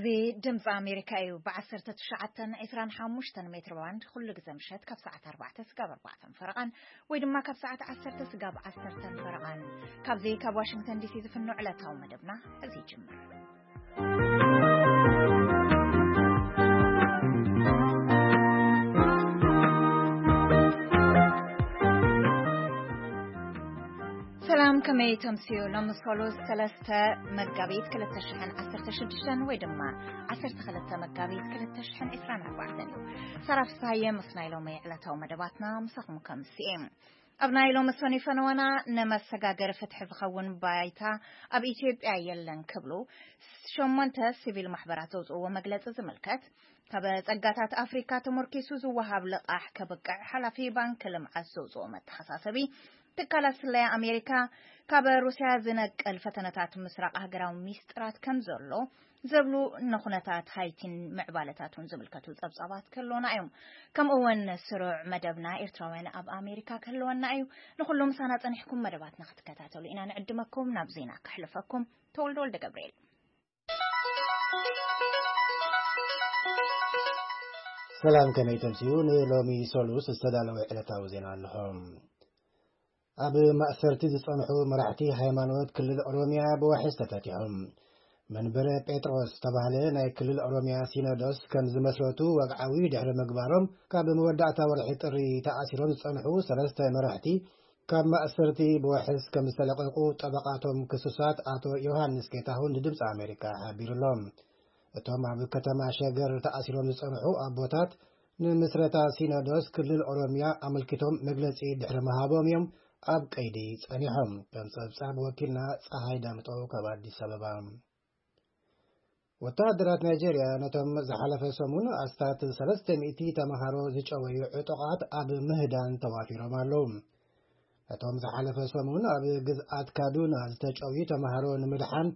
እዚ ድምፂ ኣሜሪካ እዩ። ብ19፣ 25 ሜትር ባንድ ኩሉ ግዜ ምሸት ካብ ሰዓት 4 ስጋብ 4 ፈረቓን ወይ ድማ ካብ ሰዓት 10 ስጋብ 10 ፈረቓን ካብዚ ካብ ዋሽንግተን ዲሲ ዝፍኖ ዕለታዊ መደብና እዚ ይጅምር። ሰላም፣ ከመይ ተምስዩ? ሎምስ ሰሉስ 3 መጋቢት 2016 ወይ ድማ 12 መጋቢት 2024 እዩ። ሳራ ፍስሃየ ምስ ናይ ሎሚ ዕለታዊ መደባትና ምሳኹም ከምስየ። ኣብ ናይ ሎሚ ሰኑይ ፈነወና ንመሰጋገሪ ፍትሒ ዝኸውን ባይታ ኣብ ኢትዮጵያ የለን ክብሉ ሸሞንተ ሲቪል ማሕበራት ዘውፅእዎ መግለፂ ዝምልከት፣ ካብ ጸጋታት ኣፍሪካ ተመርኪሱ ዝወሃብ ልቓሕ ከብቅዕ ሓላፊ ባንክ ልምዓት ዘውፅኦ መተሓሳሰቢ፣ ትካላት ስለያ ኣሜሪካ ካብ ሩስያ ዝነቅል ፈተነታት ምስራቕ ሃገራዊ ሚስጥራት ከም ዘሎ ዘብሉ ንኹነታት ሃይቲን ምዕባለታቱን ዝምልከቱ ጸብጻባት ክህልወና እዮም። ከምኡ እውን ስሩዕ መደብና ኤርትራውያን ኣብ ኣሜሪካ ክህልወና እዩ። ንኹሉ ምሳና ጸኒሕኩም መደባትና ክትከታተሉ ኢና ንዕድመኩም። ናብ ዜና ከሕልፈኩም። ተወልደ ወልደ ገብርኤል። ሰላም፣ ከመይ ተምስዩ? ንሎሚ ሰሉስ ዝተዳለወ ዕለታዊ ዜና ኣለኹም። ኣብ ማእሰርቲ ዝጸንሑ መራሕቲ ሃይማኖት ክልል ኦሮሚያ ብዋሕስ ተፈቲሖም። መንበረ ጴጥሮስ ዝተባህለ ናይ ክልል ኦሮሚያ ሲኖዶስ ከም ዝመስረቱ ወግዓዊ ድሕሪ ምግባሮም፣ ካብ መወዳእታ ወርሒ ጥሪ ተኣሲሮም ዝጸንሑ ሰለስተ መራሕቲ ካብ ማእሰርቲ ብዋሕስ ከም ዝተለቀቁ ጠበቃቶም ክሱሳት ኣቶ ዮሃንስ ጌታሁን ንድምፂ ኣሜሪካ ሓቢሩሎም። እቶም ኣብ ከተማ ሸገር ተኣሲሮም ዝጸንሑ ኣቦታት፣ ንምስረታ ሲኖዶስ ክልል ኦሮሚያ ኣመልኪቶም መግለጺ ድሕሪ ምሃቦም እዮም ኣብ ቀይዲ ጸኒሖም። ከም ጸብጻብ ወኪልና ጸሃይ ዳምጠው ካብ ኣዲስ ኣበባ። ወተሃደራት ናይጄርያ ነቶም ዝሓለፈ ሰሙን ኣስታት 300 ተመሃሮ ዝጨወዩ ዕጡቓት ኣብ ምህዳን ተዋፊሮም ኣለዉ። ነቶም ዝሓለፈ ሰሙን ኣብ ግዝኣት ካዱና ዝተጨውዩ ተመሃሮ ንምድሓን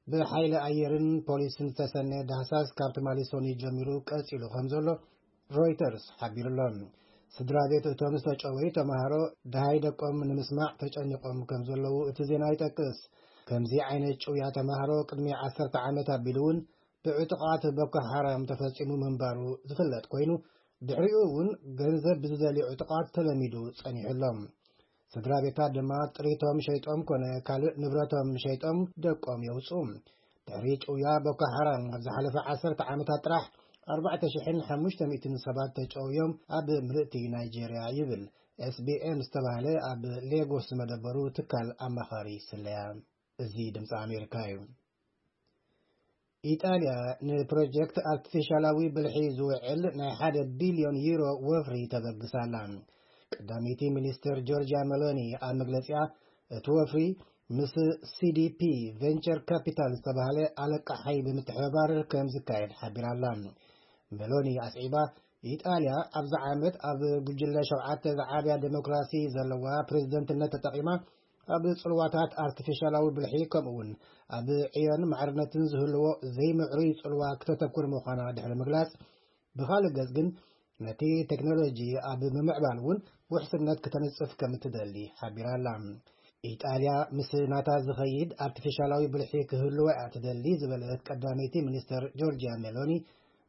ብሓይሊ ኣየርን ፖሊስን ዝተሰነየ ዳህሳስ ካብ ትማሊ ሰኑይ ጀሚሩ ቀጺሉ ከም ዘሎ ሮይተርስ ሓቢሩሎ። ስድራ ቤት እቶም ዝተጨወዩ ተመሃሮ ደሃይ ደቆም ንምስማዕ ተጨኒቖም ከም ዘለዉ እቲ ዜና ይጠቅስ። ከምዚ ዓይነት ጭውያ ተመሃሮ ቅድሚ 10 ዓመት ኣቢሉ እውን ብዕጡቓት ቦኮ ሓራም ተፈጺሙ ምንባሩ ዝፍለጥ ኮይኑ፣ ድሕሪኡ እውን ገንዘብ ብዝደልዩ ዕጡቓት ተለሚዱ ጸኒሑ ኣሎ። ስድራ ቤታት ድማ ጥሪቶም ሸይጦም ኮነ ካልእ ንብረቶም ሸይጦም ደቆም የውፅኡ። ድሕሪ ጭውያ ቦኮ ሓራም ኣብ ዝሓለፈ 10 ዓመታት ጥራሕ 4,500 ሰባት ተጨውዮም ኣብ ምልእቲ ናይጄርያ ይብል ኤስቢኤም ዝተባህለ ኣብ ሌጎስ ዝመደበሩ ትካል ኣማኻሪ ስለያ። እዚ ድምፂ ኣሜሪካ እዩ። ኢጣልያ ንፕሮጀክት ኣርቲፊሻላዊ ብልሒ ዝውዕል ናይ ሓደ ቢልዮን ዩሮ ወፍሪ ተበግስ ኣላ። ቀዳመይቲ ሚኒስትር ጆርጂያ ሜሎኒ ኣብ መግለጺኣ፣ እቲ ወፍሪ ምስ ሲዲፒ ቬንቸር ካፒታል ዝተባህለ ኣለቃሓይ ብምትሕብባር ከም ዝካየድ ሓቢራ ኣላ። ሜሎኒ ኣስዒባ፣ ኢጣልያ ኣብዚ ዓመት ኣብ ጉጅለ ሸውዓተ ዝዓብያ ዴሞክራሲ ዘለዋ ፕሬዝደንትነት ተጠቒማ፣ ኣብ ጽልዋታት ኣርቲፊሻላዊ ብልሒ ከምኡ እውን ኣብ ዕዮን ማዕርነትን ዝህልዎ ዘይምዕሩይ ጽልዋ ክተተኩር ምዃና ድሕሪ ምግላጽ፣ ብኻልእ ገጽ ግን ነቲ ቴክኖሎጂ ኣብ ምምዕባል እውን ውሕስነት ክተንጽፍ ከም እትደሊ ሓቢራ ኣላ። ኢጣልያ ምስ ናታ ዝኸይድ ኣርቲፊሻላዊ ብልሒ ክህልዎ እያ ትደሊ ዝበለት ቀዳመይቲ ሚኒስተር ጆርጂያ ሜሎኒ፣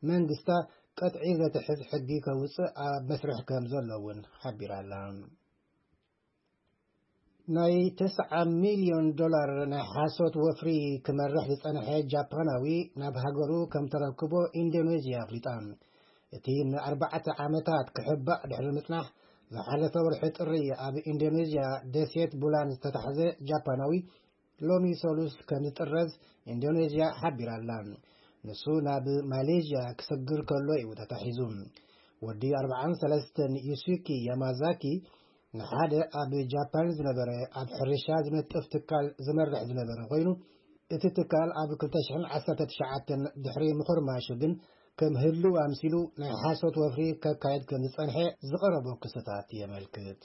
መንግስታ ቀጥዒ ዘትሕዝ ሕጊ ከውጽእ ኣብ መስርሕ ከም ዘሎ እውን ሓቢራ ኣላ። ናይ 9 ሚልዮን ዶላር ናይ ሓሶት ወፍሪ ክመርሕ ዝጸንሐ ጃፓናዊ ናብ ሃገሩ ከም ተረክቦ ኢንዶኔዥያ ኣፍሊጣ። እቲ ንኣርባዕተ ዓመታት ክሕባእ ድሕሪ ምጽናሕ፣ ዝሓለፈ ወርሒ ጥሪ ኣብ ኢንዶኔዥያ ደሴት ቡላን ዝተታሕዘ ጃፓናዊ፣ ሎሚ ሰሉስ ከም ዝጥረዝ ኢንዶኔዥያ ሓቢራ ኣላ። ንሱ ናብ ማሌዥያ ክሰግር ከሎ እዩ ተታሒዙ። ወዲ 43 ዩሱኪ ያማዛኪ ንሓደ ኣብ ጃፓን ዝነበረ ኣብ ሕርሻ ዝነጥፍ ትካል ዝመርሕ ዝነበረ ኮይኑ፣ እቲ ትካል ኣብ 2019 ድሕሪ ምኹርማሹ ግን ከም ህልው ኣምሲሉ ናይ ሓሶት ወፍሪ ከካየድ ከም ዝጸንሐ ዝቐረቦ ክስታት የመልክት።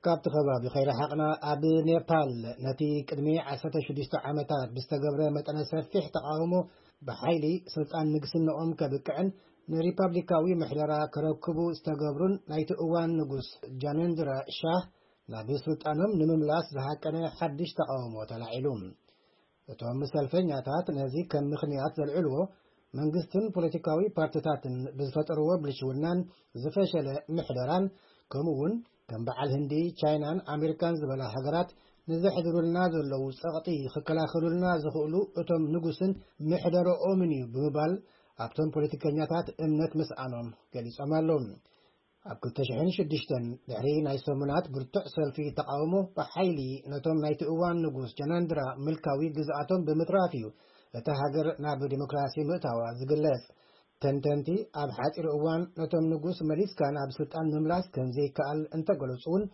ካብቲ ከባቢ ከይረሓቕና፣ ኣብ ኔፓል ነቲ ቅድሚ 16 ዓመታት ብዝተገብረ መጠነ ሰፊሕ ተቓውሞ ብሓይሊ ስልጣን ንግስንኦም ከብቅዕን ንሪፓብሊካዊ ምሕደራ ከረክቡ ዝተገብሩን ናይቲ እዋን ንጉስ ጃነንድራ ሻህ ናብ ስልጣኖም ንምምላስ ዝሃቀነ ሓድሽ ተቓውሞ ተላዒሉ። እቶም ሰልፈኛታት ነዚ ከም ምኽንያት ዘልዕልዎ፣ መንግስትን ፖለቲካዊ ፓርቲታትን ብዝፈጠርዎ ብልሽውናን ዝፈሸለ ምሕደራን፣ ከምኡ እውን ከም በዓል ህንዲ፣ ቻይናን ኣሜሪካን ዝበላ ሃገራት ንዘሕድሩልና ዘለዉ ጸቕጢ ክከላኸሉልና ዝኽእሉ እቶም ንጉስን ምሕደረኦምን እዩ ብምባል ኣብቶም ፖለቲከኛታት እምነት ምስኣኖም ገሊጾም ኣለዉ። ኣብ ክልተ ሽሕን ሽዱሽተን ድሕሪ ናይ ሰሙናት ብርቱዕ ሰልፊ ተቓውሞ ብሓይሊ ነቶም ናይቲ እዋን ንጉስ ጀናንድራ ምልካዊ ግዝኣቶም ብምትራፍ እዩ እታ ሃገር ናብ ዲሞክራሲ ምእታዋ ዝግለጽ። ተንተንቲ ኣብ ሓጺር እዋን ነቶም ንጉስ መሊስካ ናብ ስልጣን ምምላስ ከም ዘይከኣል እንተገለጹ እውን፣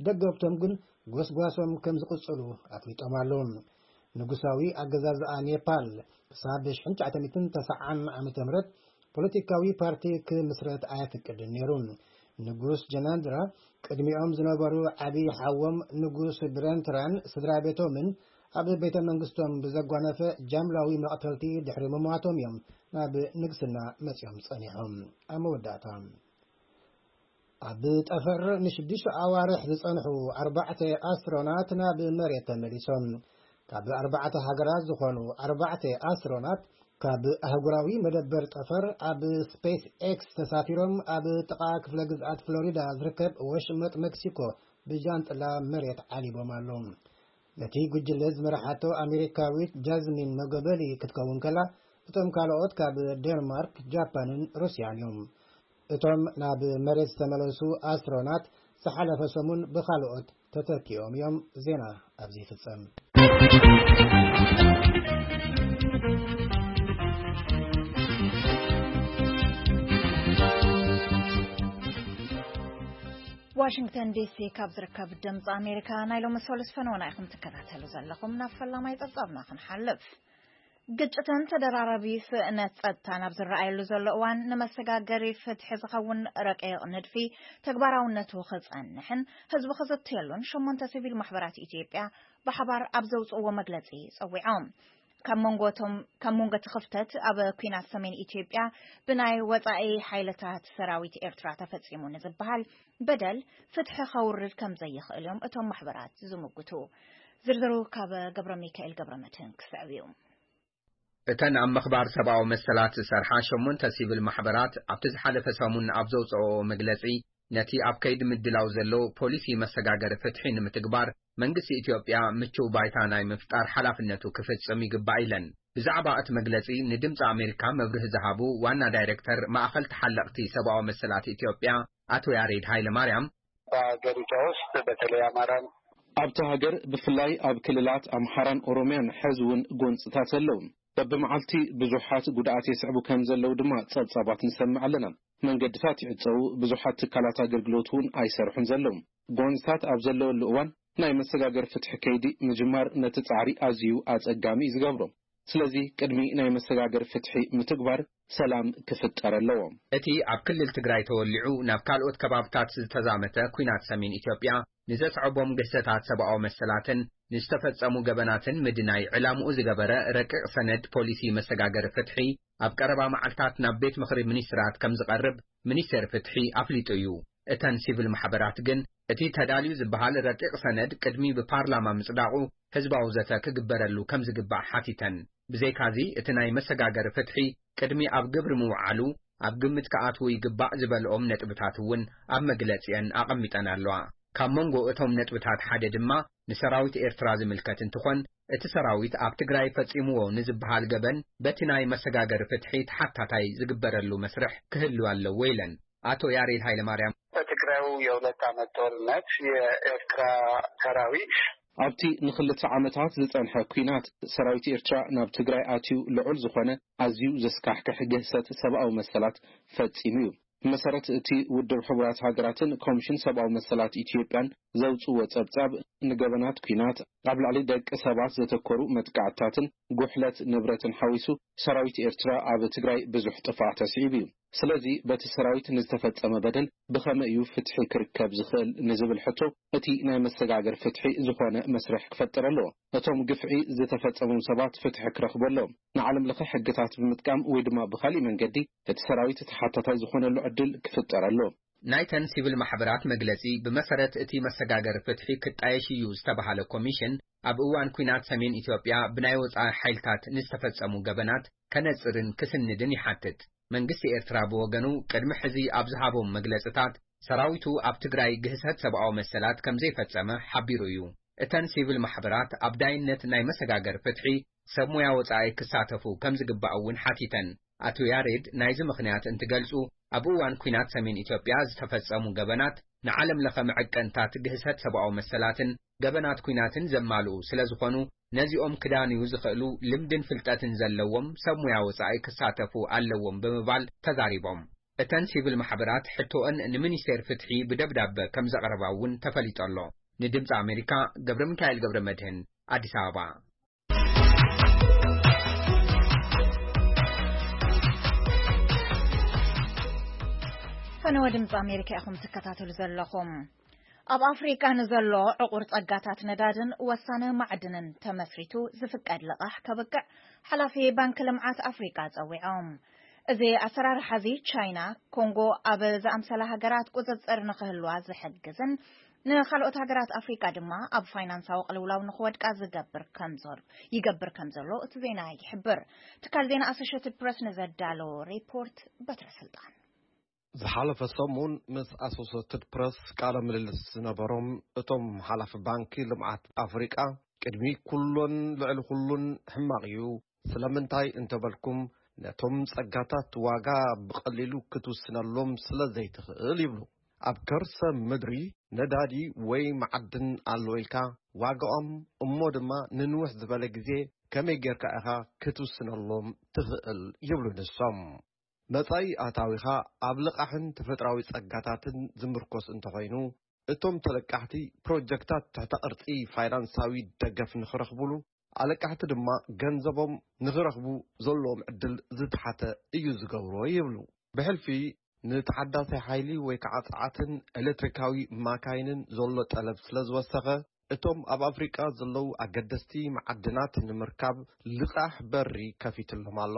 ደገፍቶም ግን ጎስጓሶም ከም ዝቕጽሉ ኣፍሊጦም ኣለዉ። ንጉሳዊ ኣገዛዝኣ ኔፓል ክሳብ ሽሕን ትሽዓተ ሚእትን ተስዓን ዓመተ ምህረት ፖለቲካዊ ፓርቲ ክምስረት ኣየፍቅድን ነይሩ። ንጉስ ጀናንድራ ቅድሚኦም ዝነበሩ ዓቢ ሓዎም ንጉስ ብረንትራን ስድራ ቤቶምን ኣብ ቤተ መንግስቶም ብዘጓነፈ ጃምላዊ መቕተልቲ ድሕሪ ምሟቶም እዮም ናብ ንግስና መጺኦም ጸኒሖም። ኣብ መወዳእታ፣ ኣብ ጠፈር ንሽዱሽተ ኣዋርሕ ዝጸንሑ ኣርባዕተ ኣስትሮናት ናብ መሬት ተመሊሶም። ካብ ኣርባዕተ ሃገራት ዝኾኑ ኣርባዕተ ኣስትሮናት ካብ ኣህጉራዊ መደበር ጠፈር ኣብ ስፔስ ኤክስ ተሳፊሮም ኣብ ጥቓ ክፍለ ግዝኣት ፍሎሪዳ ዝርከብ ወሽመጥ ሜክሲኮ ብጃንጥላ መሬት ዓሊቦም ኣለዉ። ነቲ ጉጅለ ዝመርሓቶ ኣሜሪካዊት ጃዝሚን መጎበሊ ክትከውን ከላ፣ እቶም ካልኦት ካብ ዴንማርክ፣ ጃፓንን ሩስያን እዮም። እቶም ናብ መሬት ዝተመለሱ ኣስትሮናት ዝሓለፈ ሰሙን ብኻልኦት ተተኪኦም እዮም። ዜና ኣብዚ ይፍጸም። ዋሽንግተን ዲሲ ካብ ዝርከብ ድምፂ ኣሜሪካ ናይ ሎሚ ሰሉስ ፈነወና ኢኹም ትከታተሉ ዘለኹም። ናብ ፈላማይ ጸብጻብና ክንሓልፍ። ግጭትን ተደራራቢ ስእነት ጸጥታን ኣብ ዝረኣየሉ ዘሎ እዋን፣ ንመሰጋገሪ ፍትሒ ዝኸውን ረቂቕ ንድፊ ተግባራውነቱ ክጸንሕን ህዝቢ ክዝተየሉን ሸሞንተ ሲቪል ማሕበራት ኢትዮጵያ ብሓባር ኣብ ዘውጽእዎ መግለጺ ጸዊዖም። ካብ መንጎ እቶም፣ ካብ መንጎ እቲ ክፍተት ኣብ ኲናት ሰሜን ኢትዮጵያ ብናይ ወጻኢ ሓይልታት ሰራዊት ኤርትራ ተፈጺሙ ንዝበሃል በደል ፍትሒ ከውርድ ከም ዘይኽእል እዮም እቶም ማሕበራት ዝምጉቱ። ዝርዝሩ ካብ ገብረ ሚካኤል ገብረ መድህን ክስዕብ እዩ። እተን ኣብ ምኽባር ሰብኣዊ መሰላት ዝሰርሓ ሸሞንተ ሲቪል ማሕበራት ኣብቲ ዝሓለፈ ሰሙን ኣብ ዘውፅኦ መግለፂ፣ ነቲ ኣብ ከይዲ ምድላው ዘሎ ፖሊሲ መሰጋገሪ ፍትሒ ንምትግባር መንግስቲ ኢትዮጵያ ምቹው ባይታ ናይ ምፍጣር ሓላፍነቱ ክፍጽም ይግባእ ኢለን። ብዛዕባ እቲ መግለጺ ንድምጺ ኣሜሪካ መብርሂ ዝሃቡ ዋና ዳይሬክተር ማእኸል ተሓለቕቲ ሰብኣዊ መሰላት ኢትዮጵያ ኣቶ ያሬድ ሃይለማርያም፣ በሀገሪቷ ውስጥ በተለይ አማራን ኣብታ ሃገር ብፍላይ ኣብ ክልላት ኣምሓራን ኦሮምያን ሕዚ እውን ጎንፅታት ኣለዉ። በብመዓልቲ ብዙሓት ጉድኣት የስዕቡ ከም ዘለዉ ድማ ጸብጻባት ንሰምዕ ኣለና። መንገድታት ይዕጸዉ፣ ብዙሓት ትካላት ኣገልግሎት እውን ኣይሰርሑን ዘለዉ። ጎንፅታት ኣብ ዘለወሉ እዋን ናይ መሰጋገር ፍትሒ ከይዲ ምጅማር ነቲ ጻዕሪ ኣዝዩ ኣጸጋሚ እዩ ዝገብሮ። ስለዚ ቅድሚ ናይ መሰጋገር ፍትሒ ምትግባር ሰላም ክፍጠር ኣለዎ። እቲ ኣብ ክልል ትግራይ ተወሊዑ ናብ ካልኦት ከባብታት ዝተዛመተ ኲናት ሰሜን ኢትዮጵያ ንዘስዐቦም ግህሰታት ሰብኣዊ መሰላትን ንዝተፈጸሙ ገበናትን ምድናይ ዕላምኡ ዝገበረ ረቂቕ ሰነድ ፖሊሲ መሰጋገሪ ፍትሒ ኣብ ቀረባ መዓልታት ናብ ቤት ምኽሪ ሚኒስትራት ከም ዝቐርብ ሚኒስቴር ፍትሒ ኣፍሊጡ እዩ። እተን ሲቪል ማሕበራት ግን እቲ ተዳልዩ ዝበሃል ረቂቕ ሰነድ ቅድሚ ብፓርላማ ምጽዳቑ ህዝባዊ ዘተ ክግበረሉ ከም ዝግባእ ሓቲተን። ብዘይካዚ እቲ ናይ መሰጋገሪ ፍትሒ ቅድሚ ኣብ ግብሪ ምውዓሉ ኣብ ግምት ክኣትዉ ይግባእ ዝበልኦም ነጥብታት እውን ኣብ መግለጺአን ኣቐሚጠን ኣለዋ። ካብ መንጎ እቶም ነጥብታት ሓደ ድማ ንሰራዊት ኤርትራ ዝምልከት እንትኾን፣ እቲ ሰራዊት ኣብ ትግራይ ፈጺምዎ ንዝበሃል ገበን በቲ ናይ መሰጋገሪ ፍትሒ ተሓታታይ ዝግበረሉ መስርሕ ክህሉ ኣለዎ ኢለን ኣቶ ያሬድ ሃይለማርያም። በትግራዩ የሁለት ዓመት ጦርነት የኤርትራ ሰራዊት ኣብቲ ንኽልተ ዓመታት ዝጸንሐ ኲናት ሰራዊት ኤርትራ ናብ ትግራይ ኣትዩ ልዑል ዝኾነ ኣዝዩ ዘስካሕክሕ ግህሰት ሰብኣዊ መሰላት ፈጺሙ እዩ። ብመሰረት እቲ ውድብ ሕቡራት ሃገራትን ኮሚሽን ሰብኣዊ መሰላት ኢትዮጵያን ዘውጽእዎ ጸብጻብ፣ ንገበናት ኲናት፣ ኣብ ልዕሊ ደቂ ሰባት ዘተኮሩ መጥቃዕትታትን ጉሕለት ንብረትን ሓዊሱ ሰራዊት ኤርትራ ኣብ ትግራይ ብዙሕ ጥፍኣት ኣስዒቡ እዩ። ስለዚ በቲ ሰራዊት ንዝተፈጸመ በደል ብኸመይ እዩ ፍትሒ ክርከብ ዝኽእል ንዝብል ሕቶ እቲ ናይ መሰጋገር ፍትሒ ዝኾነ መስርሕ ክፈጥር ኣለዎ። እቶም ግፍዒ ዝተፈጸሞም ሰባት ፍትሒ ክረኽቡ ኣለዎም። ንዓለም ለኸ ሕግታት ብምጥቃም ወይ ድማ ብኻሊእ መንገዲ እቲ ሰራዊት ተሓታታይ ዝኾነሉ ዕድል ክፍጠር ኣለዎ። ናይተን ሲቪል ማሕበራት መግለጺ፣ ብመሰረት እቲ መሰጋገሪ ፍትሒ ክጣየሽ እዩ ዝተባሃለ ኮሚሽን፣ ኣብ እዋን ኲናት ሰሜን ኢትዮጵያ ብናይ ወጻኢ ሓይልታት ንዝተፈጸሙ ገበናት ከነጽርን ክስንድን ይሓትት። መንግስቲ ኤርትራ ብወገኑ፣ ቅድሚ ሕዚ ኣብ ዝሃቦም መግለጽታት፣ ሰራዊቱ ኣብ ትግራይ ግህሰት ሰብኣዊ መሰላት ከም ዘይፈጸመ ሓቢሩ እዩ። እተን ሲቪል ማሕበራት ኣብ ዳይነት ናይ መሰጋገሪ ፍትሒ ሰብ ሞያ ወጻኢ ክሳተፉ ከም ዝግባእ እውን ሓቲተን። ኣቶ ያሬድ ናይዚ ምኽንያት እንትገልጹ፣ ኣብ እዋን ኲናት ሰሜን ኢትዮጵያ ዝተፈጸሙ ገበናት ንዓለም ለኸ መዐቀንታት ግህሰት ሰብኣዊ መሰላትን ገበናት ኲናትን ዘማልኡ ስለ ዝኾኑ፣ ነዚኦም ክዳንዩ ዝኽእሉ ልምድን ፍልጠትን ዘለዎም ሰብ ሞያ ወጻኢ ክሳተፉ ኣለዎም ብምባል ተዛሪቦም። እተን ሲቪል ማሕበራት ሕቶአን ንሚኒስቴር ፍትሒ ብደብዳበ ከም ዘቕረባ እውን ተፈሊጡ ኣሎ። ንድምፂ ኣሜሪካ ገብረ ሚካኤል ገብረ መድህን፣ ኣዲስ ኣበባ። ፈነወ ድምፂ ኣሜሪካ ኢኹም ትከታተሉ ዘለኹም። ኣብ ኣፍሪቃ ንዘሎ ዕቑር ጸጋታት ነዳድን ወሳነ ማዕድንን ተመስሪቱ ዝፍቀድ ልቓሕ ከብቅዕ ሓላፊ ባንክ ልምዓት ኣፍሪቃ ጸዊዖም። እዚ ኣሰራርሓ እዚ ቻይና፣ ኮንጎ ኣብ ዝኣምሰላ ሃገራት ቁጽጽር ንኽህልዋ ዝሕግዝን ንኻልኦት ሃገራት ኣፍሪቃ ድማ ኣብ ፋይናንሳዊ ቅልውላው ንኽወድቃ ዝገብር ከም ዘሎ፣ ይገብር ከም ዘሎ እቲ ዜና ይሕብር። ትካል ዜና ኣሶሽየትድ ፕረስ ንዘዳለዎ ሪፖርት በትረ ስልጣን። ዝሓለፈ ሰሙን ምስ ኣሶሴትድ ፕረስ ቃለ ምልልስ ዝነበሮም እቶም ሓላፊ ባንኪ ልምዓት ኣፍሪቃ፣ ቅድሚ ኩሎን ልዕሊ ኩሉን ሕማቕ እዩ። ስለምንታይ እንተበልኩም፣ ነቶም ጸጋታት ዋጋ ብቐሊሉ ክትውስነሎም ስለ ዘይትኽእል ይብሉ። ኣብ ከርሰ ምድሪ ነዳዲ ወይ መዓድን ኣሎ ኢልካ ዋጋኦም እሞ ድማ ንንውሕ ዝበለ ግዜ ከመይ ጌርካ ኢኻ ክትውስነሎም ትኽእል ይብሉ ንሶም። መጻኢ ኣታዊኻ ኣብ ልቓሕን ተፈጥራዊ ጸጋታትን ዝምርኮስ እንተኾይኑ፣ እቶም ተለቃሕቲ ፕሮጀክታት ትሕተ ቅርጺ ፋይናንሳዊ ደገፍ ንኽረኽቡሉ፣ ኣለቃሕቲ ድማ ገንዘቦም ንኽረኽቡ ዘለዎም ዕድል ዝተሓተ እዩ ዝገብሮ ይብሉ። ብሕልፊ ንተሓዳሲ ሓይሊ ወይ ከዓ ጸዓትን ኤሌክትሪካዊ ማካይንን ዘሎ ጠለብ ስለ ዝወሰኸ፣ እቶም ኣብ ኣፍሪቃ ዘለዉ ኣገደስቲ መዓድናት ንምርካብ ልቓሕ በሪ ከፊትሎም ኣሎ።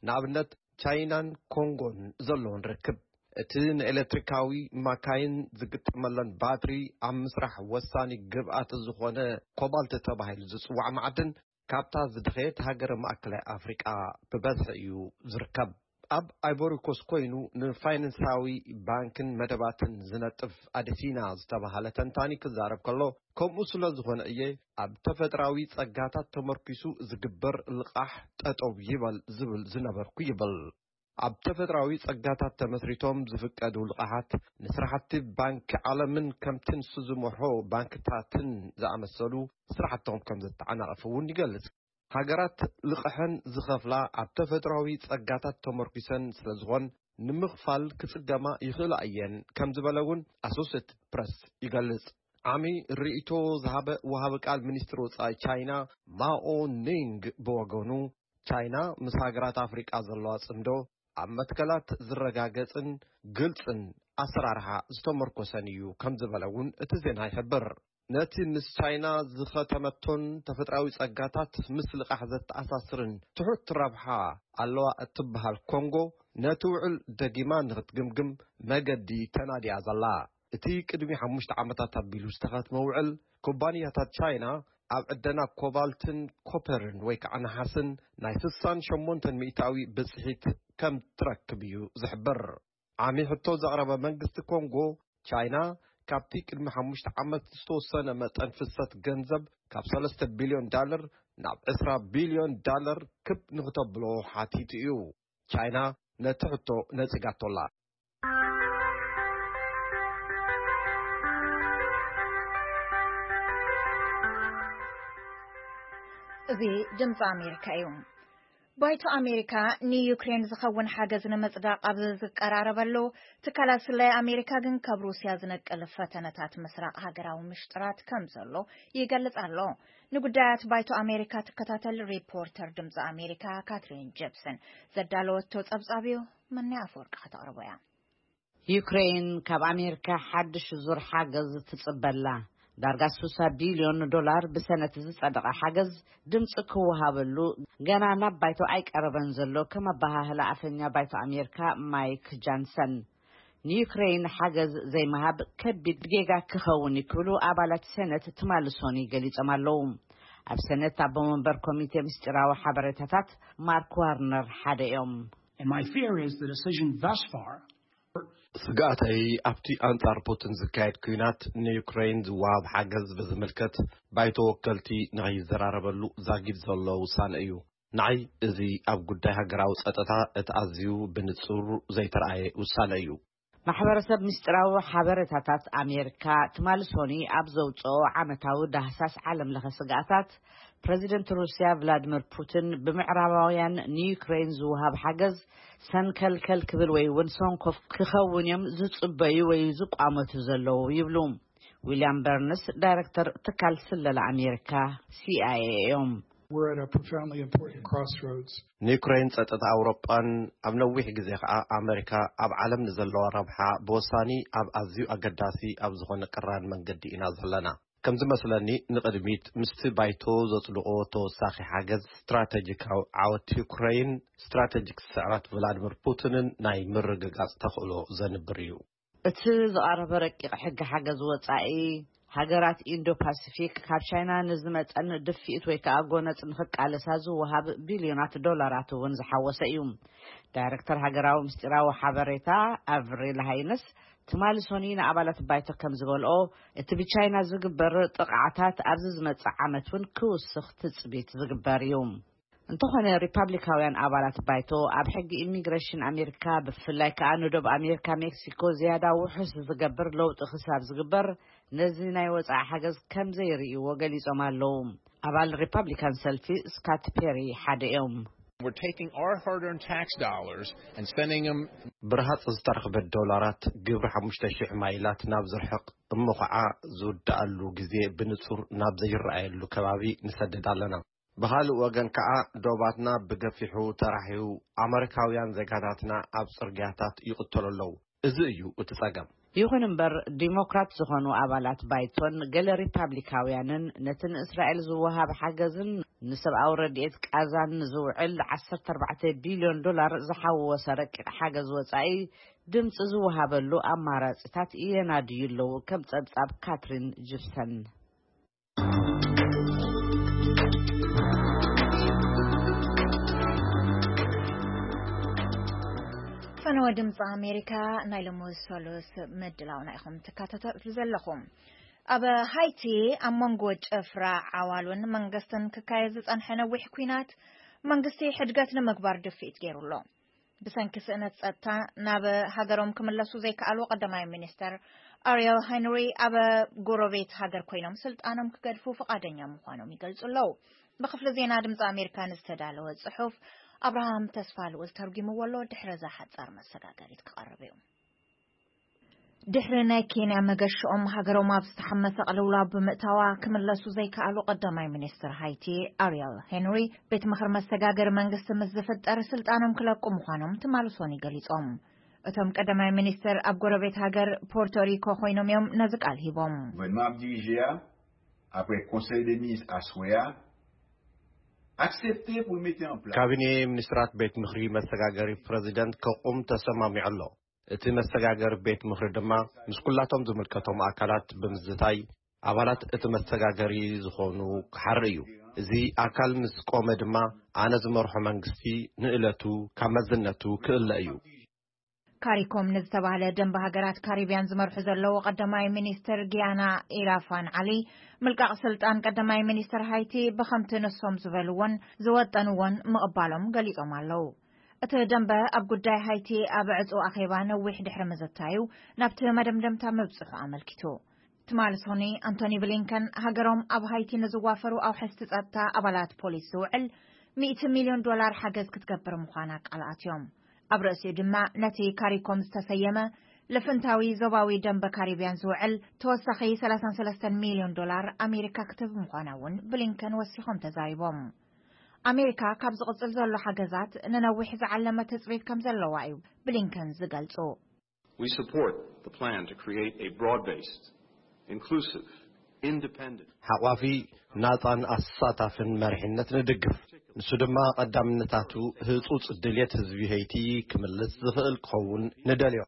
ንኣብነት፣ ቻይናን ኮንጎን ዘለውን ርክብ፣ እቲ ንኤሌክትሪካዊ ማካይን ዝግጠመለን ባትሪ ኣብ ምስራሕ ወሳኒ ግብኣት ዝኾነ ኮባልት ተባሂሉ ዝጽዋዕ መዓድን፣ ካብታ ዝደኸየት ሃገረ ማእከላይ ኣፍሪቃ ብበዝሒ እዩ ዝርከብ። ኣብ ኣይቮሪኮስ ኮይኑ ንፋይናንሳዊ ባንክን መደባትን ዝነጥፍ ኣደሲና ዝተባሃለ ተንታኒ ክዛረብ ከሎ፣ ከምኡ ስለ ዝኾነ እየ ኣብ ተፈጥራዊ ጸጋታት ተመርኪሱ ዝግበር ልቓሕ ጠጠው ይበል ዝብል ዝነበርኩ ይብል። ኣብ ተፈጥራዊ ጸጋታት ተመስሪቶም ዝፍቀዱ ልቓሓት ንስራሕቲ ባንኪ ዓለምን ከምቲ ንሱ ዝመርሖ ባንክታትን ዝኣመሰሉ ስራሕቶም ከም ዘተዓናቕፍ እውን ይገልጽ። ሃገራት ልቕሐን ዝኸፍላ ኣብ ተፈጥራዊ ጸጋታት ተመርኪሰን ስለ ዝኾን፣ ንምኽፋል ክጽገማ ይኽእላ እየን ከም ዝበለ እውን ኣሶሴትድ ፕረስ ይገልጽ። ዓሚ ርእይቶ ዝሃበ ወሃቢ ቃል ሚኒስትሪ ወጻኢ ቻይና ማኦ ኒንግ ብወገኑ፣ ቻይና ምስ ሃገራት ኣፍሪቃ ዘለዋ ጽምዶ ኣብ መትከላት ዝረጋገጽን ግልጽን ኣሰራርሓ ዝተመርኮሰን እዩ ከም ዝበለ እውን እቲ ዜና ይሕብር። ነቲ ምስ ቻይና ዝኸተመቶን ተፈጥራዊ ጸጋታት ምስ ልቓሕ ዘተኣሳስርን ትሑት ረብሓ ኣለዋ እትበሃል ኮንጎ፣ ነቲ ውዕል ደጊማ ንኽትግምግም መገዲ ተናዲያ ዘላ። እቲ ቅድሚ ሓሙሽተ ዓመታት ኣቢሉ ዝተኸትመ ውዕል፣ ኩባንያታት ቻይና ኣብ ዕደና ኮባልትን ኮፐርን ወይ ከዓ ነሓስን ናይ ስሳን ሸሞንተን ሚእታዊ ብጽሒት ከም ትረክብ እዩ ዝሕብር። ዓሚ ሕቶ ዘቕረበ መንግስቲ ኮንጎ፣ ቻይና ካብቲ ቅድሚ ሓሙሽተ ዓመት ዝተወሰነ መጠን ፍሰት ገንዘብ ካብ ሰለስተ ቢልዮን ዳለር ናብ ዕስራ ቢልዮን ዳለር ክብ ንክተብሎ ሓቲቱ እዩ። ቻይና ነቲ ሕቶ ነጺጋቶ ኣላ። እዚ ድምፂ ኣሜሪካ እዩ። ባይቶ ኣሜሪካ ንዩክሬን ዝኸውን ሓገዝ ንምጽዳቕ ኣብ ዝቀራረበሉ፣ ትካላት ስለያ ኣሜሪካ ግን ካብ ሩስያ ዝነቅል ፈተነታት ምስራቕ ሃገራዊ ምሽጥራት ከም ዘሎ ይገልጽ ኣሎ። ንጉዳያት ባይቶ ኣሜሪካ ትከታተል ሪፖርተር ድምፂ ኣሜሪካ ካትሪን ጀፕሰን ዘዳለወቶ ጸብጻብ እዩ። መኒ ኣፈወርቂ ከተቕርቦ እያ። ዩክሬን ካብ ኣሜሪካ ሓድሽ ዙር ሓገዝ ትጽበላ። ዳርጋ ስሳ ቢልዮን ዶላር ብሰነት ዝጸደቐ ሓገዝ ድምፂ ክወሃበሉ ገና ናብ ባይቶ ኣይቀረበን ዘሎ፣ ከም ኣበሃህላ ኣፈኛ ባይቶ ኣሜሪካ ማይክ ጃንሰን። ንዩክሬን ሓገዝ ዘይምሃብ ከቢድ ጌጋ ክኸውን እዩ ክብሉ ኣባላት ሰነት ትማሊ ሶኒ ገሊጾም ኣለዉ። ኣብ ሰነት ኣቦ መንበር ኮሚቴ ምስጢራዊ ሓበሬታታት ማርክ ዋርነር ሓደ እዮም። And my fear is the decision thus far ስግኣተይ ኣብቲ ኣንጻር ፑቲን ዝካየድ ኲናት ንዩክሬን ዝወሃብ ሓገዝ ብዝምልከት ባይቶ ወከልቲ ንኸይዘራረበሉ ዛጊድ ዘሎ ውሳነ እዩ። ንዓይ እዚ ኣብ ጉዳይ ሃገራዊ ጸጥታ እቲ ኣዝዩ ብንጹር ዘይተረኣየ ውሳነ እዩ። ማሕበረሰብ ምስጢራዊ ሓበሬታታት ኣሜሪካ ትማሊ ሶኒ ኣብ ዘውፅኦ ዓመታዊ ዳህሳስ ዓለም ለኸ ስግኣታት፣ ፕረዚደንት ሩስያ ቭላድሚር ፑቲን ብምዕራባውያን ንዩክሬን ዝወሃብ ሓገዝ ሰንከልከል ክብል ወይ እውን ሰንኮፍ ክኸውን እዮም ዝጽበዩ ወይ ዝቋመቱ ዘለዉ ይብሉ። ዊልያም በርንስ ዳይረክተር ትካል ስለላ ኣሜሪካ ሲኣይኤ እዮም። We're at a profoundly important crossroads. ንዩክሬን ጸጥታ ኣውሮጳን ኣብ ነዊሕ ግዜ ከኣ ኣመሪካ ኣብ ዓለም ንዘለዋ ረብሓ ብወሳኒ ኣብ ኣዝዩ ኣገዳሲ ኣብ ዝኾነ ቅራን መንገዲ ኢና ዘለና። ከም ዝመስለኒ ንቕድሚት ምስቲ ባይቶ ዘጽድቖ ተወሳኺ ሓገዝ ስትራተጂካዊ ዓወት ዩክሬን ስትራተጂክ ስዕረት ቭላድሚር ፑቲንን ናይ ምርግጋጽ ተኽእሎ ዘንብር እዩ። እቲ ዝቐረበ ረቂቕ ሕጊ ሓገዝ ወጻኢ ሃገራት ኢንዶ ፓሲፊክ ካብ ቻይና ንዝመጸን ድፍኢት ወይ ከኣ ጎነጽ ንኽቃለሳ ዝወሃብ ቢልዮናት ዶላራት እውን ዝሓወሰ እዩ። ዳይረክተር ሃገራዊ ምስጢራዊ ሓበሬታ ኣቭሪል ሃይነስ ትማሊ ሶኒ ንኣባላት ባይቶ ከም ዝበልኦ፣ እቲ ብቻይና ዝግበር ጥቕዓታት ኣብዚ ዝመጽእ ዓመት እውን ክውስኽ ትጽቢት ዝግበር እዩ። እንተኾነ ሪፓብሊካውያን ኣባላት ባይቶ ኣብ ሕጊ ኢሚግሬሽን ኣሜሪካ ብፍላይ ከኣ ንዶብ ኣሜሪካ ሜክሲኮ ዝያዳ ውሑስ ዝገብር ለውጢ ክሳብ ዝግበር ነዚ ናይ ወፃኢ ሓገዝ ከም ዘይርእይዎ ገሊጾም ኣለዉ። ኣባል ሪፓብሊካን ሰልፊ ስካት ፔሪ ሓደ እዮም። We're taking our hard-earned tax dollars and spending them ብርሃጽ ዝተረኽበ ዶላራት ግብሪ ሓሙሽተ ሽሕ ማይላት ናብ ዝርሕቕ እሞ ኸዓ ዝውድኣሉ ግዜ ብንጹር ናብ ዘይረኣየሉ ከባቢ ንሰድድ ኣለና። ብኻልእ ወገን ከኣ ዶባትና ብገፊሑ ተራሕዩ ኣመሪካውያን ዜጋታትና ኣብ ጽርግያታት ይቕተሉ ኣለዉ። እዚ እዩ እቲ ጸገም። ይኹን እምበር ዲሞክራት ዝኾኑ ኣባላት ባይቶን ገለ ሪፓብሊካውያንን ነቲ ንእስራኤል ዝወሃብ ሓገዝን ንሰብኣዊ ረድኤት ቃዛን ዝውዕል ዓሰርተ ኣርባዕተ ቢልዮን ዶላር ዝሓወሰ ረቂቕ ሓገዝ ወጻኢ ድምፂ ዝወሃበሉ ኣማራፂታት የናድዩ ኣለዉ። ከም ጸብጻብ ካትሪን ጅፕሰን። ፈነወ ድምፂ ኣሜሪካ ናይ ሎሚ ሰሉስ ምድላውና ኢኹም ትከታተሉ ዘለኹም። ኣብ ሃይቲ ኣብ መንጎ ጭፍራ ዓዋሉን መንግስትን ክካየድ ዝጸንሐ ነዊሕ ኲናት መንግስቲ ሕድገት ንምግባር ድፍኢት ገይሩ ኣሎ። ብሰንኪ ስእነት ጸጥታ ናብ ሃገሮም ክምለሱ ዘይከኣሉ ቀዳማይ ሚኒስተር ኣሪየል ሄንሪ ኣብ ጎረቤት ሃገር ኮይኖም ስልጣኖም ክገድፉ ፍቓደኛ ምዃኖም ይገልጹ ኣለዉ። ብክፍሊ ዜና ድምፂ ኣሜሪካ ንዝተዳለወ ጽሑፍ ኣብርሃም ተስፋ ልኡል ተርጒምዎ ኣሎ። ድሕሪ እዛ ሓጻር መሰጋገሪት ክቐርብ እዩ። ድሕሪ ናይ ኬንያ መገሽኦም ሃገሮም ኣብ ዝተሓመሰ ቅልውላው ብምእታዋ ክምለሱ ዘይከኣሉ ቀዳማይ ሚኒስትር ሃይቲ ኣሪየል ሄንሪ ቤት ምኽሪ መሰጋገሪ መንግስቲ ምስ ዝፍጠር ስልጣኖም ክለቁ ምዃኖም ትማሊ ሶኒ ገሊጾም። እቶም ቀዳማይ ሚኒስትር ኣብ ጎረቤት ሃገር ፖርቶሪኮ ኮይኖም እዮም ነዚ ቃል ሂቦም። Gouvènman ap dirije a, apre konsèy de minis aswè a, aksepte pou l mete an plas. ካቢኔ ሚኒስትራት ቤት ምኽሪ መሰጋገሪ ፕረዚደንት ከቑም ተሰማሚዑ ኣሎ። እቲ መሰጋገሪ ቤት ምኽሪ ድማ ምስ ኩላቶም ዝምልከቶም ኣካላት ብምዝታይ ኣባላት እቲ መሰጋገሪ ዝኾኑ ክሓሪ እዩ። እዚ ኣካል ምስ ቆመ ድማ ኣነ ዝመርሖ መንግስቲ ንእለቱ ካብ መዝነቱ ክእለ እዩ። ካሪኮም ንዝተባህለ ደንበ ሃገራት ካሪብያን ዝመርሑ ዘለዉ ቀዳማይ ሚኒስትር ጊያና ኢራፋን ዓሊ ምልቃቕ ስልጣን ቀዳማይ ሚኒስትር ሃይቲ ብኸምቲ ንሶም ዝበልዎን ዝወጠንዎን ምቕባሎም ገሊጾም ኣለዉ። እቲ ደንበ ኣብ ጉዳይ ሃይቲ ኣብ ዕጹ ኣኼባ ነዊሕ ድሕሪ ምዝታዩ ናብቲ መደምደምታ ምብጽሑ ኣመልኪቱ። ትማሊ ሶኒ ኣንቶኒ ብሊንከን ሃገሮም ኣብ ሃይቲ ንዝዋፈሩ ኣውሐስቲ ጸጥታ ኣባላት ፖሊስ ዝውዕል ሚእቲ ሚልዮን ዶላር ሓገዝ ክትገብር ምዃና ቃል ኣትዮም። ኣብ ርእሲኡ ድማ ነቲ ካሪኮም ዝተሰየመ ልፍንታዊ ዞባዊ ደንበ ካሪብያን ዝውዕል ተወሳኺ ሰላሳን ሰለስተን ሚልዮን ዶላር ኣሜሪካ ክትህብ ምዃና እውን ብሊንከን ወሲኾም ተዛሪቦም። ኣሜሪካ ካብ ዝቕጽል ዘሎ ሓገዛት ንነዊሕ ዝዓለመ ትጽቢት ከም ዘለዋ እዩ ብሊንከን ዝገልጹ። We support the plan to create a broad-based, inclusive, independent ሓቋፊ፣ ናጻን ኣሳታፍን መሪሕነት ንድግፍ። ንሱ ድማ ቀዳምነታቱ ህጹጽ ድልየት ህዝቢ ሄይቲ ክምልስ ዝኽእል ክኸውን ንደልዮ።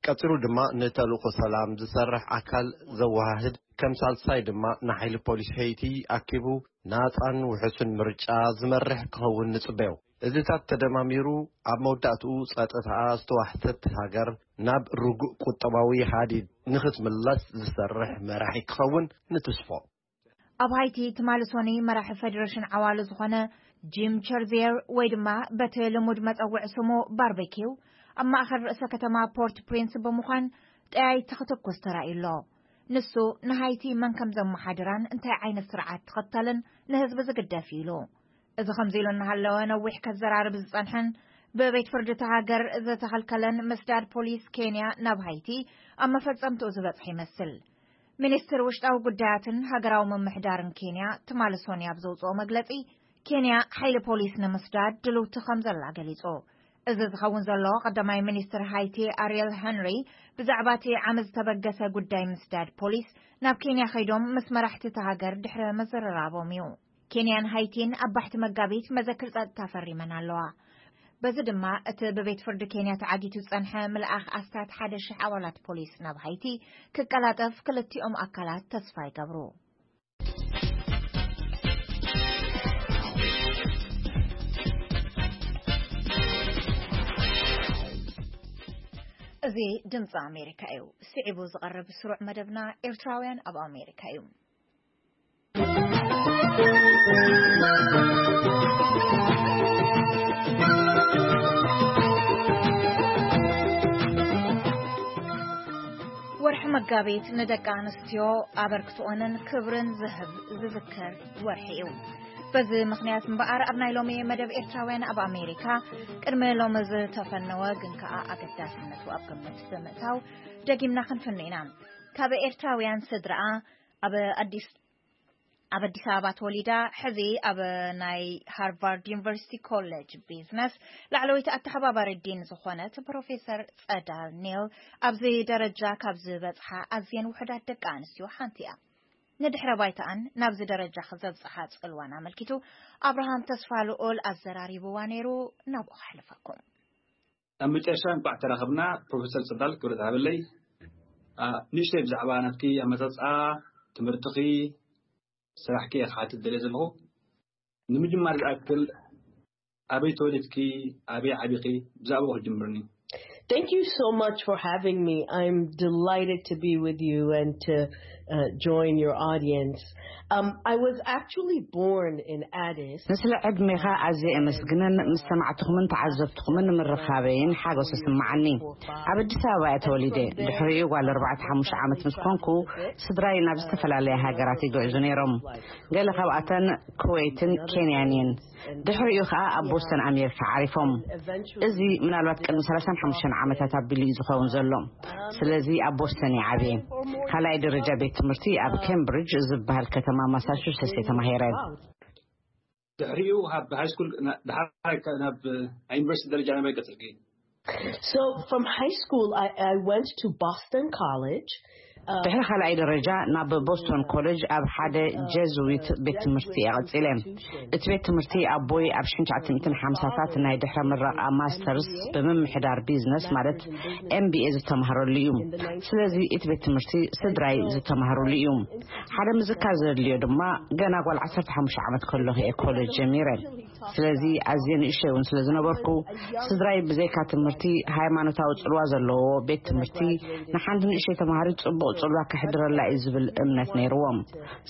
ቀጺሉ ድማ ንተልእኾ ሰላም ዝሰርሕ ኣካል ዘወሃህድ፣ ከም ሳልሳይ ድማ ንሓይሊ ፖሊስ ሄይቲ ኣኪቡ ናጻን ውሑስን ምርጫ ዝመርሕ ክኸውን ንጽበዮ። እዚታት ተደማሚሩ ኣብ መወዳእትኡ ጸጥታኣ ዝተዋሕተት ሃገር ናብ ርጉእ ቁጠባዊ ሃዲድ ንኽትምለስ ዝሰርሕ መራሒ ክኸውን ንትስፎ። ኣብ ሃይቲ ትማሊ ሶኒ መራሒ ፌደሬሽን ዓዋሉ ዝኾነ ጂም ቸርዚየር ወይ ድማ በቲ ልሙድ መጸውዒ ስሙ ባርቤኪው ኣብ ማእኸል ርእሰ ከተማ ፖርት ፕሪንስ ብምዃን ጠያይቲ ክትኩስ ተራእዩ ኣሎ። ንሱ ንሃይቲ መን ከም ዘመሓድራን እንታይ ዓይነት ስርዓት ትኽተልን ንህዝቢ ዝግደፍ እዩ ኢሉ። እዚ ከምዚ ኢሉ እናሃለወ ነዊሕ ከዘራርብ ዝጸንሐን ብቤት ፍርዲ እታ ሃገር ዝተኸልከለን ምስዳድ ፖሊስ ኬንያ ናብ ሃይቲ ኣብ መፈጸምትኡ ዝበጽሐ ይመስል። ሚኒስትር ውሽጣዊ ጉዳያትን ሃገራዊ ምምሕዳርን ኬንያ ትማሊ ሶኒ ኣብ ዘውፅኦ መግለፂ፣ ኬንያ ሓይሊ ፖሊስ ንምስዳድ ድልውቲ ከም ዘላ ገሊፁ። እዚ ዝኸውን ዘሎ ቀዳማይ ሚኒስትር ሃይቲ ኣሪየል ሄንሪ ብዛዕባ እቲ ዓመት ዝተበገሰ ጉዳይ ምስዳድ ፖሊስ ናብ ኬንያ ከይዶም ምስ መራሕቲ እታ ሃገር ድሕሪ ምዝርራቦም እዩ። ኬንያን ሃይቲን ኣብ ባሕቲ መጋቢት መዘክር ጸጥታ ፈሪመን ኣለዋ። በዚ ድማ እቲ ብቤት ፍርዲ ኬንያ ተዓጊቱ ዝጸንሐ ምልኣኽ ኣስታት ሓደ ሽሕ ኣባላት ፖሊስ ናብ ሃይቲ ክቀላጠፍ ክልቲኦም ኣካላት ተስፋ ይገብሩ። እዚ ድምፂ ኣሜሪካ እዩ። ስዒቡ ዝቐርብ ስሩዕ መደብና ኤርትራውያን ኣብ ኣሜሪካ እዩ። ወርሒ መጋቢት ንደቂ ኣንስትዮ ኣበርክትኦንን ክብርን ዝህብ ዝዝከር ወርሒ እዩ። በዚ ምኽንያት እምበኣር ኣብ ናይ ሎሚ መደብ ኤርትራውያን ኣብ ኣሜሪካ ቅድሚ ሎሚ ዝተፈነወ ግን ከኣ ኣገዳስነቱ ኣብ ግምት ብምእታው ደጊምና ክንፍኑ ኢና። ካብ ኤርትራውያን ስድራኣ ኣብ ኣዲስ ኣብ ኣዲስ ኣበባ ተወሊዳ ሕዚ ኣብ ናይ ሃርቫርድ ዩኒቨርሲቲ ኮሌጅ ቢዝነስ ላዕለወይቲ ኣተሓባባሪ ዲን ዝኾነት ፕሮፌሰር ጸዳል ኔል ኣብዚ ደረጃ ካብ ዝበጽሓ ኣዝየን ውሑዳት ደቂ ኣንስትዮ ሓንቲ እያ። ንድሕረ ባይታኣን ናብዚ ደረጃ ክዘብጽሓ ጽልዋን ኣመልኪቱ ኣብርሃም ተስፋ ልኦል ኣዘራሪብዋ ነይሩ። ናብኡ ከሕልፈኩም። ኣብ መጨረሻ እንኳዕ ተራኸብና ፕሮፌሰር ጸዳል ክብረት ሃበለይ። ንእሽተይ ብዛዕባ ናትኪ ኣመጻጽኣ ትምህርትኺ ስራሕኪ እየ ክሓትት ደልየ ዘለኹ። ንምጅማር ዝኣክል ኣበይ ተወሊድኪ? ኣበይ ዓቢኺ? ብዛዕባኡ ክጅምርኒ። Thank you so much for having me. I'm delighted to be with you and to uh, join your audience. Um, I was actually born in Addis. ንስለ ዕድሜኻ ኣዝየ የመስግንን ምስ ሰማዕትኹምን ተዓዘብትኹምን ንምርኻበይን ሓጎስ ይስምዓኒ። ኣብ ኣዲስ ኣበባ እየ ተወሊደ። ድሕሪኡ ጓል ኣርባዕተ ሓሙሽተ ዓመት ምስ ኮንኩ ስድራይ ናብ ዝተፈላለያ ሃገራት ይግዕዙ ነይሮም። ገለ ካብኣተን ኩዌትን ኬንያን እየን። ድሕሪኡ ኸኣ ኣብ ቦስተን ኣሜሪካ ዓሪፎም። እዚ ምናልባት ቅድሚ ሰላሳን ሓሙሽተን ዓመታት ኣቢሉ እዩ ዝኸውን ዘሎ። ስለዚ ኣብ ቦስተን እየ ዓብየ። ካልኣይ ደረጃ ቤት ትምህርቲ ኣብ ኬምብሪጅ ዝበሃል ከተማ ማሳቹሴትስ እየ ተማሂረ። ድሕሪኡ ኣብ ሃይ ስኩል ዳሓር ናብ ዩኒቨርሲቲ ደረጃ ናበይ ቀጽልኪ? So from high school, I, I went to Boston College. ድሕሪ ካልኣይ ደረጃ ናብ ቦስቶን ኮሌጅ ኣብ ሓደ ጀዝዊት ቤት ትምህርቲ እየ ቀጺለ። እቲ ቤት ትምህርቲ ኣቦይ ኣብ ሽሕን ትሽዓተ ሚእትን ሓምሳታት ናይ ድሕረ ምረቓ ማስተርስ ብምምሕዳር ቢዝነስ ማለት ኤምቢኤ ዝተማህረሉ እዩ። ስለዚ እቲ ቤት ትምህርቲ ስድራይ ዝተማህሩሉ እዩ። ሓደ ምዝካር ዘድልዮ ድማ ገና ጓል ዓሰርተ ሓሙሽተ ዓመት ከለኹ እየ ኮሌጅ ጀሚረ። ስለዚ ኣዝየ ንእሽተይ እውን ስለ ዝነበርኩ ስድራይ ብዘይካ ትምህርቲ ሃይማኖታዊ ጽልዋ ዘለዎ ቤት ትምህርቲ ንሓንቲ ንእሽተይ ተማሃሪት ጽቡቕ ጽልዋ ከሕድረላ እዩ ዝብል እምነት ነይርዎም።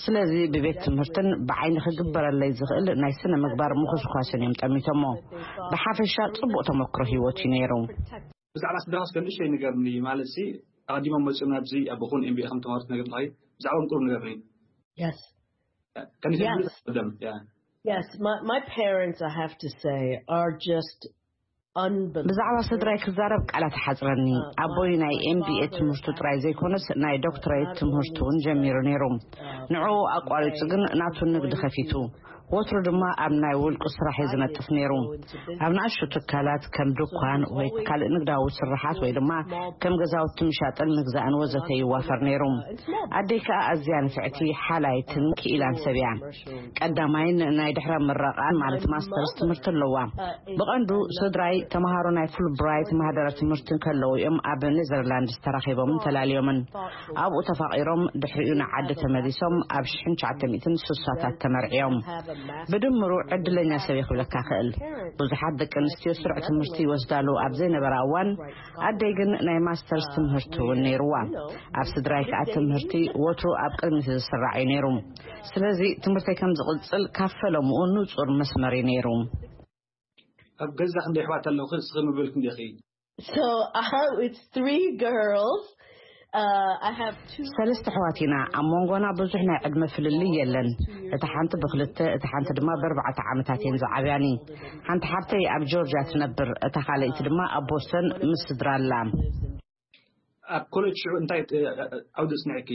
ስለዚ ብቤት ትምህርትን ብዓይኒ ክግበረለይ ዝኽእል ናይ ስነ ምግባር ምኹስኳስን እዮም ጠሚቶሞ። ብሓፈሻ ጽቡቕ ተመክሮ ህይወት እዩ ነይሩ። ብዛዕባ ስድራኻ እስከ ንእሽተይ ንገርኒ፣ ማለት ሲ ኣቐዲሞም መጺኦም ናብዚ ኣቦኹን ኤምቢኤ ከም ተማሃሩ ትነግርኒ፣ ብዛዕባኦም ቁሩብ ንገርኒ። Yes. Can you tell me about them? Yeah. Yes, my, my parents, I have to say, are just unbelievable. ብዛዕባ ስድራይ ክዛረብ ቃላት ሓጽረኒ። ኣቦይ ናይ ኤምቢኤ ትምህርቱ ጥራይ ዘይኮነስ ናይ ዶክትሬት ትምህርቱ እውን ጀሚሩ ነይሩ። ንዕኡ ኣቋሪጹ ግን ናቱ ንግዲ ከፊቱ። ወትሩ ድማ ኣብ ናይ ውልቁ ስራሕ እዩ ዝነጥፍ ነይሩ። ኣብ ንኣሽቱ ትካላት ከም ድኳን ወይ ካልእ ንግዳዊ ስርሓት ወይ ድማ ከም ገዛውቲ ምሻጥን ምግዛእን ወዘተ ይዋፈር ነይሩ። ኣደይ ከኣ ኣዝያ ንፍዕቲ ሓላይትን ክኢላን ሰብ እያ። ቀዳማይን ናይ ድሕረ ምረቓን ማለት ማስተርስ ትምህርቲ ኣለዋ። ብቐንዱ ስድራይ ተምሃሮ ናይ ፉል ብራይት ማህደረ ትምህርቲ ከለዉ እዮም ኣብ ኔዘርላንድስ ተራኺቦምን ተላልዮምን። ኣብኡ ተፋቒሮም ድሕሪኡ ንዓዲ ተመሊሶም ኣብ ሽሕን ትሽዓተ ሚእትን ስሳታት ተመርዕዮም። ብድምሩ ዕድለኛ ሰብ ክብለካ ክእል። ብዙሓት ደቂ ኣንስትዮ ስሩዕ ትምህርቲ ይወስዳሉ ኣብ ዘይነበራ እዋን፣ ኣደይ ግን ናይ ማስተርስ ትምህርቲ እውን ነይርዋ። ኣብ ስድራይ ከዓ ትምህርቲ ወትሩ ኣብ ቅድሚት ዝስራዕ እዩ ነይሩ። ስለዚ ትምህርተይ ከም ዝቕጽል ካብ ፈለምኡ ንጹር መስመር እዩ ነይሩ። ኣብ ገዛ ክንደይ ኣሕዋት ኣለውኺ? እስኺ ምብልክ እንዲኺ? So uh, it's three girls. Uh, I have two. ሰለስተ ኣሕዋት ኢና። ኣብ መንጎና ብዙሕ ናይ ዕድመ ፍልልይ የለን። እታ ሓንቲ ብክልተ፣ እታ ሓንቲ ድማ ብኣርባዕተ ዓመታት እየን ዝዓብያኒ። ሓንቲ ሓብተይ ኣብ ጆርጅያ ትነብር፣ እታ ካልኣይቲ ድማ ኣብ ቦስተን ምስ ስድራ ኣላ። ኣብ ኮሌጅ ሽዑ እንታይ እ፣ ዓውዲ ኣጽኒዕኪ?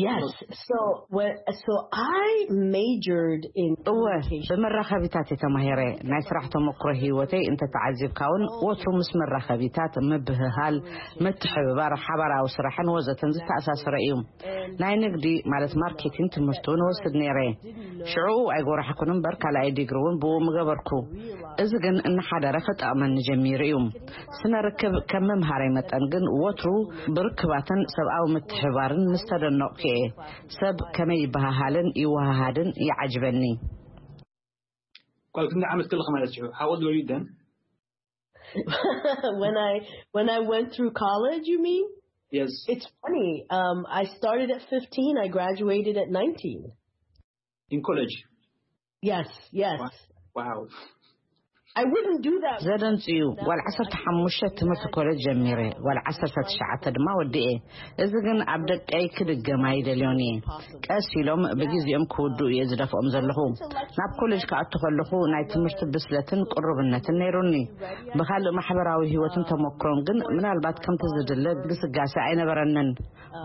Yes. So what? So I majored in እወ communication. ብመራኸቢታት እየ ተማሂረ። ናይ ስራሕ ተመክሮ ህይወተይ እንተተዓዚብካ እውን ወትሩ ምስ መራኸቢታት ምብህሃል፣ ምትሕብባር፣ ሓባራዊ ስራሕን ወዘተን ዝተኣሳሰረ እዩ። ናይ ንግዲ ማለት ማርኬቲንግ ትምህርቲ እውን ወስድ ነይረ። ሽዑ ኣይጎራሕኩን እምበር ካልኣይ ዲግሪ እውን ብኡ ምገበርኩ። እዚ ግን እናሓደረ ክጠቕመኒ ጀሚሩ እዩ። ስነ ርክብ ከም መምሃራይ መጠን ግን ወትሩ ብርክባትን ሰብኣዊ ምትሕባርን ምስ ተደነቕኩ እየ። ሰብ ከመይ ይበሃሃልን ይወሃሃድን ይዓጅበኒ። ኳል ክንደይ ዓመት ከለኺ ማለት እዩ? How old were you then? When I when I went through college, you mean? Yes. It's funny. Um, I started at fifteen. I graduated at nineteen. In college. Yes, yes. Wow. I wouldn't do that. ዘደንጽ እዩ። ጓል ዓሰርተ ሓሙሽተ ትምህርቲ ኮሌጅ ጀሚረ፣ ጓል ዓሰርተ ትሽዓተ ድማ ወዲኤ። እዚ ግን ኣብ ደቀይ ክድገም ኣይደልዮን እየ። ቀስ ኢሎም ብግዜኦም ክውድኡ እየ ዝደፍኦም ዘለኹ። ናብ ኮሌጅ ክኣቱ ከለኹ ናይ ትምህርቲ ብስለትን ቅሩብነትን ነይሩኒ። ብኻልእ ማሕበራዊ ህይወትን ተመክሮን ግን ምናልባት ከምቲ ዝድለ ግስጋሴ ኣይነበረንን።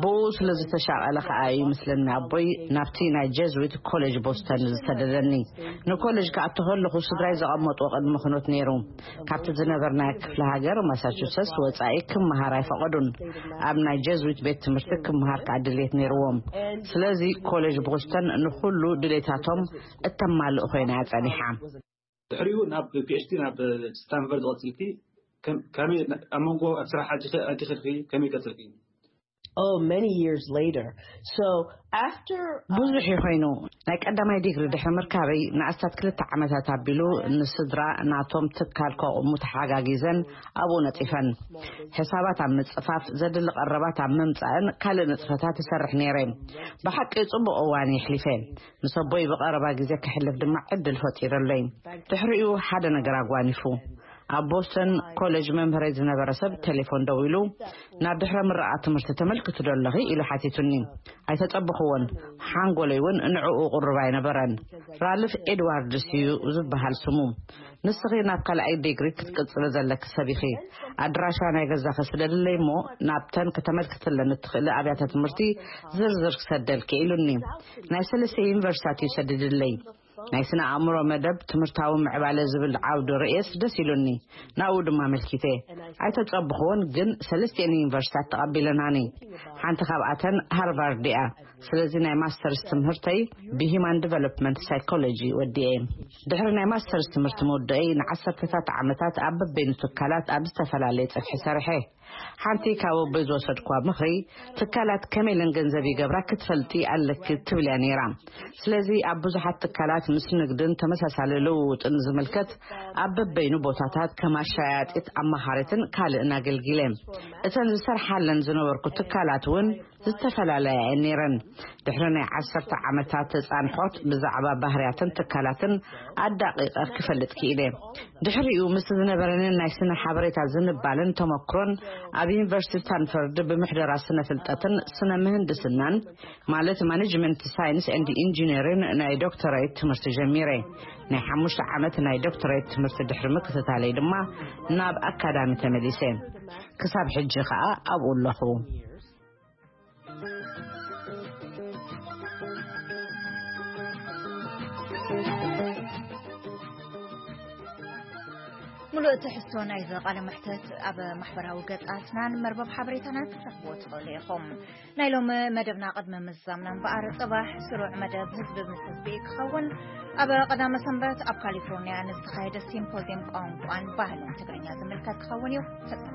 ብኡ ስለ ዝተሻቐለ ከኣ እዩ ምስለኒ ኣቦይ ናብቲ ናይ ጀዝዊት ኮሌጅ ቦስተን ዝሰደደኒ። ንኮሌጅ ክኣቱ ከለኹ ስድራይ ዘቐመጥዎ ቅድመ ኩነት ነይሩ። ካብቲ ዝነበርናዮ ክፍለ ሃገር ማሳቹሰትስ ወጻኢ ክመሃር ኣይፈቐዱን። ኣብ ናይ ጀዝዊት ቤት ትምህርቲ ክመሃር ከኣ ድሌት ነይርዎም። ስለዚ ኮሌጅ ቦስተን ንኹሉ ድሌታቶም እተማልእ ኮይና እያ ጸኒሓ። ድሕሪኡ ናብ ፒ ኤች ዲ ናብ ስታንፈርድ ዝቐጽልኪ ከም- ከመይ ኣብ መንጎ ኣብ ስራሕ ኣቲኺ ኣቲኺ ከመይ ቀጽልኪ? Oh, many years later. So after uh, ብዙሕ እዩ ኮይኑ። ናይ ቀዳማይ ዲግሪ ድሕሪ ምርካበይ ንኣስታት ክልተ ዓመታት ኣቢሉ ንስድራ ናቶም ትካል ከቑሙ ተሓጋጊዘን ኣብኡ ነጺፈን። ሕሳባት ኣብ ምጽፋፍ፣ ዘድሊ ቀረባት ኣብ ምምጻእን ካልእ ንጥፈታት ይሰርሕ ነይረ። ብሓቂ ጽቡቕ እዋን የሕሊፈ። ምስ ኣቦይ ብቐረባ ግዜ ከሕልፍ ድማ ዕድል ፈጢረለይ። ድሕሪኡ ሓደ ነገር ኣጓኒፉ። ኣብ ቦስተን ኮሌጅ መምህረይ ዝነበረ ሰብ ቴሌፎን ደዊሉ ናብ ድሕረ ምረቓ ትምህርቲ ተመልክቲ ዶ ኣለኺ ኢሉ ሓቲቱኒ። ኣይተጸብኽዎን። ሓንጎለይ እውን ንዕኡ ቅሩብ ኣይነበረን። ራልፍ ኤድዋርድስ እዩ ዝበሃል ስሙ። ንስኺ ናብ ካልኣይ ዲግሪ ክትቅጽሊ ዘለኪ ሰብ ኢኺ። ኣድራሻ ናይ ገዛኺ ስደድለይ እሞ ናብተን ከተመልክትለን እትኽእሊ ኣብያተ ትምህርቲ ዝርዝር ክሰደልኪ ኢሉኒ። ናይ ሰለስተ ዩኒቨርሲታት እዩ ሰዲድለይ። ናይ ስነ ኣእምሮ መደብ ትምህርታዊ ምዕባለ ዝብል ዓውዲ ርእየስ ደስ ኢሉኒ። ናብኡ ድማ ኣመልኪተ። ኣይተጸብኽዎን ግን ሰለስቲኤን ዩኒቨርሲታት ተቐቢለናኒ። ሓንቲ ካብኣተን ሃርቫርድ እያ። ስለዚ ናይ ማስተርስ ትምህርተይ ብሂማን ዲቨሎፕመንት ሳይኮሎጂ ወዲኤ። ድሕሪ ናይ ማስተርስ ትምህርቲ ምውድአይ ንዓሰርተታት ዓመታት ኣብ በበይኑ ትካላት ኣብ ዝተፈላለየ ጽፍሒ ሰሪሐ። ሓንቲ ካብ ኣቦይ ዝወሰድኳ ምኽሪ ትካላት ከመይ ኢለን ገንዘብ ይገብራ ክትፈልጢ ኣለኪ ትብል እያ ነይራ። ስለዚ ኣብ ብዙሓት ትካላት ምስ ንግድን ተመሳሳሊ ልውውጥን ዝምልከት ኣብ በበይኑ ቦታታት ከም ኣሻያጢት ኣማኻሪትን ካልእን ኣገልጊለ። እተን ዝሰርሓለን ዝነበርኩ ትካላት እውን ዝተፈላለያ እየን ነይረን። ድሕሪ ናይ ዓሰርተ ዓመታት ተጻንሖት ብዛዕባ ባህርያትን ትካላትን ኣዳቒቐ ክፈልጥ ክኢለ። ድሕሪኡ ምስ ዝነበረንን ናይ ስነ ሓበሬታ ዝንባለን ተመክሮን ኣብ ዩኒቨርሲቲ ስታንፈርድ ብምሕደራ ስነ ፍልጠትን ስነ ምህንድስናን ማለት ማኔጅመንት ሳይንስ ኤንድ ኢንጂነሪን ናይ ዶክተራይት ትምህርቲ ጀሚረ። ናይ ሓሙሽተ ዓመት ናይ ዶክተራይት ትምህርቲ ድሕሪ ምክትታለይ ድማ ናብ ኣካዳሚ ተመሊሰ። ክሳብ ሕጂ ከኣ ኣብኡ ኣለኹ። ሙሉእ ትሕዝቶ ናይዚ ቃለ መሕተት ኣብ ማሕበራዊ ገጻትናን መርበብ ሓበሬታና ክትረኽብዎ ትኽእሉ ኢኹም። ናይ ሎሚ መደብና ቅድሚ ምዛምና እምበኣር፣ ጽባሕ ስሩዕ መደብ ህዝቢ ምስ ህዝቢ ክኸውን፣ ኣብ ቀዳመ ሰንበት ኣብ ካሊፎርኒያ ንዝተኻየደ ሲምፖዚየም ቋንቋን ባህልን ትግርኛ ዝምልከት ክኸውን እዩ። ተጸንብሩ።